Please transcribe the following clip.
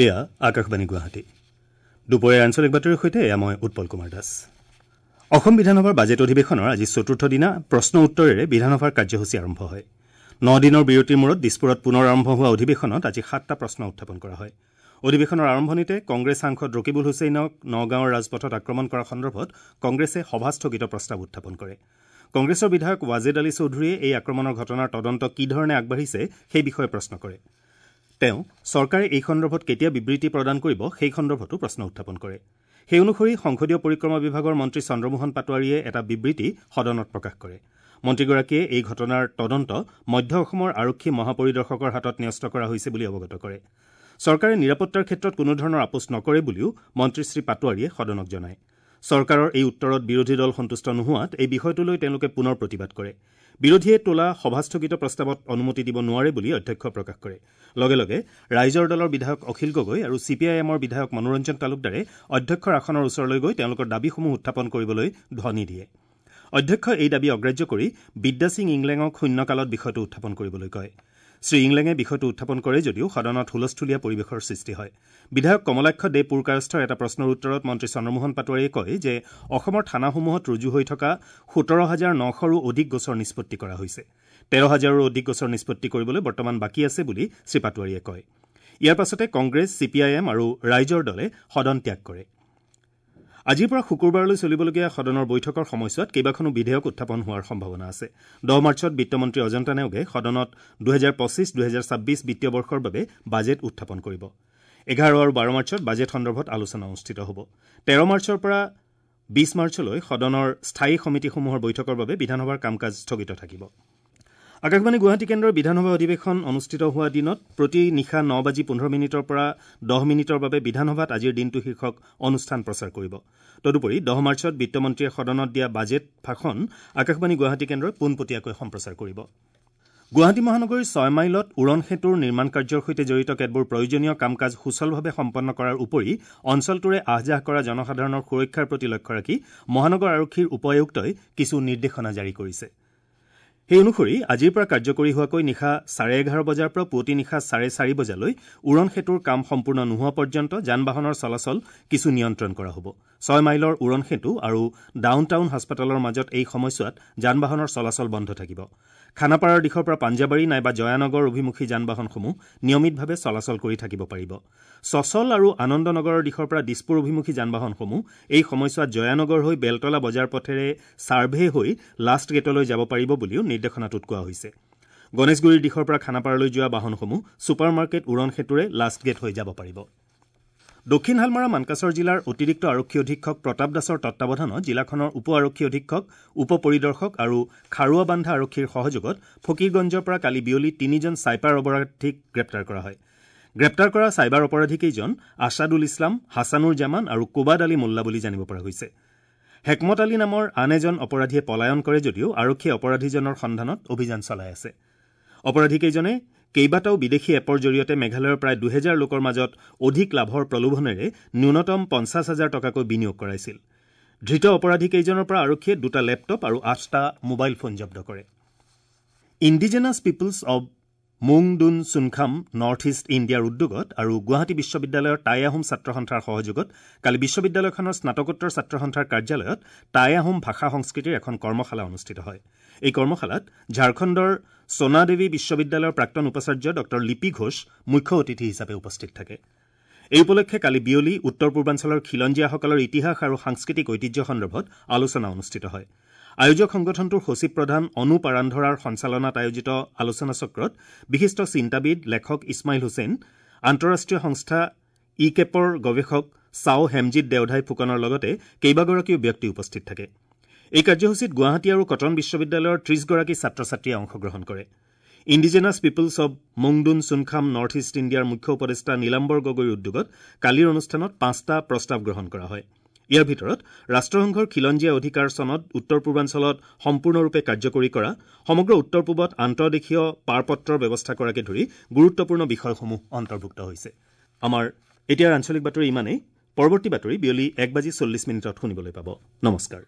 এয়া আকাশবাণী গুৱাহাটী। দুপৰীয়াৰ আঞ্চলিক বাতৰিৰ সৈতে এয়া মই উৎপল কুমাৰ দাস। অসম বিধানসভাৰ বাজেট অধিৱেশনৰ আজি চতুৰ্থ দিনা প্ৰশ্ন উত্তৰেৰে বিধানসভাৰ কাৰ্যসূচী আৰম্ভ হয়। ৯ দিনৰ বিৰতিৰ মূৰত দিছপুৰত পুনৰ আৰম্ভ হোৱা অধিৱেশনত আজি ৭টা প্ৰশ্ন উত্থাপন কৰা হয়। অধিৱেশনৰ আৰম্ভণিতে কংগ্ৰেছ সাংসদ ৰকিবুল হুছেইনক নগাঁৱৰ ৰাজপথত আক্ৰমণ কৰা সন্দৰ্ভত কংগ্ৰেছে সভাস্থগিত প্ৰস্তাৱ উত্থাপন কৰে। কংগ্ৰেছৰ বিধায়ক ৱাজেদ আলী চৌধুৰীয়ে এই আক্ৰমণৰ ঘটনাৰ তদন্ত কি ধৰণে আগবাঢ়িছে সেই বিষয়ে প্ৰশ্ন কৰে। তেওঁ চৰকাৰে এই সন্দৰ্ভত কেতিয়া বিবৃতি প্ৰদান কৰিব সেই সন্দৰ্ভতো প্ৰশ্ন উত্থাপন কৰে। সেই অনুসৰি সংসদীয় পৰিক্ৰমা বিভাগৰ মন্ত্ৰী চন্দ্ৰমোহন পাটোৱাৰীয়ে এটা বিবৃতি সদনত প্ৰকাশ কৰে। মন্ত্ৰীগৰাকীয়ে এই ঘটনাৰ তদন্ত মধ্য অসমৰ আৰক্ষী মহাপৰিদৰ্শকৰ হাতত ন্যস্ত কৰা হৈছে বুলি অৱগত কৰে। চৰকাৰে নিৰাপত্তাৰ ক্ষেত্ৰত কোনো ধৰণৰ আপোচ নকৰে বুলিও মন্ত্ৰী শ্ৰী পাটোৱাৰীয়ে সদনক জনায়। চৰকাৰৰ এই উত্তৰত বিৰোধী দল সন্তুষ্ট নোহোৱাত এই বিষয়টো লৈ তেওঁলোকে পুনৰ প্ৰতিবাদ কৰে। বিৰোধীয়ে তোলা সভাস্থগিত প্ৰস্তাৱত অনুমতি দিব নোৱাৰে বুলি অধ্যক্ষ প্ৰকাশ কৰে। লগে লগে ৰাইজৰ দলৰ বিধায়ক অখিল গগৈ আৰু চি পি আই এমৰ বিধায়ক মনোৰঞ্জন তালুকদাৰে অধ্যক্ষৰ আসনৰ ওচৰলৈ গৈ তেওঁলোকৰ দাবীসমূহ উত্থাপন কৰিবলৈ ধ্বনি দিয়ে। অধ্যক্ষই এই দাবী অগ্ৰাহ্য কৰি বিদ্যাসিং ইংলেঙক শূন্যকালত বিষয়টো উত্থাপন কৰিবলৈ কয়। শ্ৰী ইংলেঙে বিষয়টো উত্থাপন কৰে যদিও সদনত হুলস্থুলীয়া পৰিৱেশৰ সৃষ্টি হয়। বিধায়ক কমলাক্ষ দে পুৰকায়স্থৰ এটা প্ৰশ্নৰ উত্তৰত মন্ত্ৰী চন্দ্ৰমোহন পাটোৱাৰীয়ে কয় যে অসমৰ থানাসমূহত ৰুজু হৈ থকা ১৭,৯০০ৰো অধিক গোচৰ নিষ্পত্তি কৰা হৈছে। ১৩,০০০ৰো অধিক গোচৰ নিষ্পত্তি কৰিবলৈ বৰ্তমান বাকী আছে বুলি শ্ৰী পাটোৱাৰীয়ে কয়। ইয়াৰ পাছতে Congress, C P I am আৰু ৰাইজৰ দলে সদন ত্যাগ কৰে। আজিৰ পৰা শুকুৰবাৰলৈ চলিবলগীয়া সদনৰ বৈঠকৰ সময়ছোৱাত কেইবাখনো বিধেয়ক উত্থাপন হোৱাৰ সম্ভাৱনা আছে। ১০ মাৰ্চত বিত্তমন্ত্ৰী অজন্তা নেওগে সদনত ২০২৫-২০২৬ বিত্তীয় বৰ্ষৰ বাবে বাজেট উত্থাপন কৰিব। ১১ আৰু ১২ মাৰ্চত বাজেট সন্দৰ্ভত আলোচনা অনুষ্ঠিত হ'ব। ১৩ মাৰ্চৰ পৰা ২০ মাৰ্চলৈ সদনৰ স্থায়ী সমিতিসমূহৰ বৈঠকৰ বাবে বিধানসভাৰ কাম কাজ স্থগিত থাকিব। আকাশবাণী গুৱাহাটী কেন্দ্ৰৰ বিধানসভা অধিৱেশন অনুষ্ঠিত হোৱা দিনত প্ৰতি নিশা ৯:১৫ পৰা ১০ মিনিটৰ বাবে বিধানসভাত আজিৰ দিনটো শীৰ্ষক অনুষ্ঠান প্ৰচাৰ কৰিব। তদুপৰি ১০ মাৰ্চত বিত্তমন্ত্ৰীয়ে সদনত দিয়া বাজেট ভাষণ আকাশবাণী গুৱাহাটী কেন্দ্ৰই পোনপটীয়াকৈ সম্প্ৰচাৰ কৰিব। গুৱাহাটী মহানগৰীৰ ৬ মাইলত উৰণ সেতুৰ নিৰ্মাণ কাৰ্যৰ সৈতে জড়িত কেতবোৰ প্ৰয়োজনীয় কাম কাজ সুচলভাৱে সম্পন্ন কৰাৰ উপৰি অঞ্চলটোৰে আহ যাহ কৰা জনসাধাৰণৰ সুৰক্ষাৰ প্ৰতি লক্ষ্য ৰাখি মহানগৰ আৰক্ষীৰ উপ আয়ুক্তই কিছু নিৰ্দেশনা জাৰি কৰিছে। সেই অনুসৰি আজিৰ পৰা কাৰ্যকৰী হোৱাকৈ নিশা ১১:৩০ বজাৰ পৰা পুৱতি নিশা ৪:৩০ বজালৈ উৰণ সেতুৰ কাম সম্পূৰ্ণ নোহোৱা পৰ্যন্ত যান বাহনৰ চলাচল কিছু নিয়ন্ত্ৰণ কৰা হ'ব। ৬ মাইলৰ উৰণ সেতু আৰু ডাউন টাউন হাস্পতালৰ মাজত এই সময়ছোৱাত যান বাহনৰ চলাচল বন্ধ থাকিব। খানাপাৰাৰ দিশৰ পৰা পাঞ্জাবাৰী নাইবা জয়ানগৰ অভিমুখী যান বাহনসমূহ নিয়মিতভাৱে চলাচল কৰি থাকিব পাৰিব। চচল আৰু আনন্দনগৰৰ দিশৰ পৰা দিছপুৰ অভিমুখী যান বাহনসমূহ এই সময়ছোৱাত জয়ানগৰ হৈ বেলতলা বজাৰ পথেৰে ছাৰ্ভে হৈ লাষ্ট গেটলৈ যাব পাৰিব বুলিও নিৰ্দেশনাটোত কোৱা হৈছে। গণেশগুৰিৰ দিশৰ পৰা খানাপাৰালৈ যোৱা বাহনসমূহ ছুপাৰ মাৰ্কেট উৰণ সেতুৰে লাষ্ট গেট হৈ যাব পাৰিব। দক্ষিণ হালমাৰা মানকাচৰ জিলাৰ অতিৰিক্ত আৰক্ষী অধীক্ষক প্ৰতাপ দাসৰ তত্বাৱধানত জিলাখনৰ উপ আৰক্ষী অধীক্ষক, উপ পৰিদৰ্শক আৰু খাৰুৱাবান্ধা আৰক্ষীৰ সহযোগত ফকীৰগঞ্জৰ পৰা কালি বিয়লি ৩জন চাইবাৰ অপৰাধীক গ্ৰেপ্তাৰ কৰা হয়। গ্ৰেপ্তাৰ কৰা চাইবাৰ অপৰাধীকেইজন আছাদুল ইছলাম, হাছানুৰ জামান আৰু কোবাদ আলী মোল্লা বুলি জানিব পৰা গৈছে। হেকমত আলী নামৰ আন এজন অপৰাধীয়ে পলায়ন কৰে যদিও আৰক্ষীয়ে অপৰাধীজনৰ সন্ধানত অভিযান চলাই আছে। অপৰাধীকেইজনে কেইবাটাও বিদেশী এপৰ জৰিয়তে মেঘালয়ৰ প্ৰায় ২০০০ লোকৰ মাজত অধিক লাভৰ প্ৰলোভনেৰে ন্যূনতম ৫০,০০০ টকাকৈ বিনিয়োগ কৰাইছিল। ধৃত অপৰাধীকেইজনৰ পৰা আৰক্ষীয়ে ২টা লেপটপ আৰু ৮টা মোবাইল ফোন জব্দ কৰে। Indigenous peoples of Mungdun Chungkham North East ইণ্ডিয়াৰ উদ্যোগত আৰু গুৱাহাটী বিশ্ববিদ্যালয়ৰ টাই আহোম ছাত্ৰ সন্থাৰ সহযোগত কালি বিশ্ববিদ্যালয়খনৰ স্নাতকোত্তৰ ছাত্ৰ সন্থাৰ কাৰ্যালয়ত টাই আহোম ভাষা সংস্কৃতিৰ এখন কৰ্মশালা অনুষ্ঠিত হয়। এই কৰ্মশালাত ঝাৰখণ্ডৰ সোণাদেৱী বিশ্ববিদ্যালয়ৰ প্ৰাক্তন উপাচাৰ্য ডঃ লিপি ঘোষ মুখ্য অতিথি হিচাপে উপস্থিত থাকে। এই উপলক্ষে কালি বিয়লি উত্তৰ পূৰ্বাঞ্চলৰ খিলঞ্জীয়াসকলৰ ইতিহাস আৰু সাংস্কৃতিক ঐতিহ্য সন্দৰ্ভত আলোচনা অনুষ্ঠিত হয়। আয়োজক সংগঠনটোৰ সচিব প্ৰধান অনুপ আৰান্ধৰাৰ সঞ্চালনাত আয়োজিত আলোচনা চক্ৰত বিশিষ্ট চিন্তাবিদ লেখক ইছমাইল হুছেইন, আন্তঃৰাষ্ট্ৰীয় সংস্থা ই কেপৰ গৱেষক চাও হেমজিৎ দেওধাই ফুকনৰ লগতে কেইবাগৰাকীও ব্যক্তি উপস্থিত থাকে। এই কাৰ্যসূচীত গুৱাহাটী আৰু কটন বিশ্ববিদ্যালয়ৰ ৩০গৰাকী ছাত্ৰ ছাত্ৰীয়ে অংশগ্ৰহণ কৰে। Indigenous peoples of Mungdun Chungkham North East ইণ্ডিয়াৰ মুখ্য উপদেষ্টা নীলাম্বৰ গগৈৰ উদ্যোগত কালিৰ অনুষ্ঠানত ৫টা প্ৰস্তাৱ গ্ৰহণ কৰা হয়। ইয়াৰ ভিতৰত ৰাষ্ট্ৰসংঘৰ খিলঞ্জীয়া অধিকাৰ চনদ উত্তৰ পূৰ্বাঞ্চলত সম্পূৰ্ণৰূপে কাৰ্যকৰী কৰা, সমগ্ৰ উত্তৰ পূবত আন্তঃদেশীয় পাৰপত্ৰৰ ব্যৱস্থা কৰাকে ধৰি গুৰুত্বপূৰ্ণ বিষয়সমূহ অন্তৰ্ভুক্ত হৈছে। আমাৰ এতিয়াৰ আঞ্চলিক বাতৰি ইমানেই। পৰৱৰ্তী বাতৰি বিয়লি ১:৪০ শুনিবলৈ পাব। নমস্কাৰ।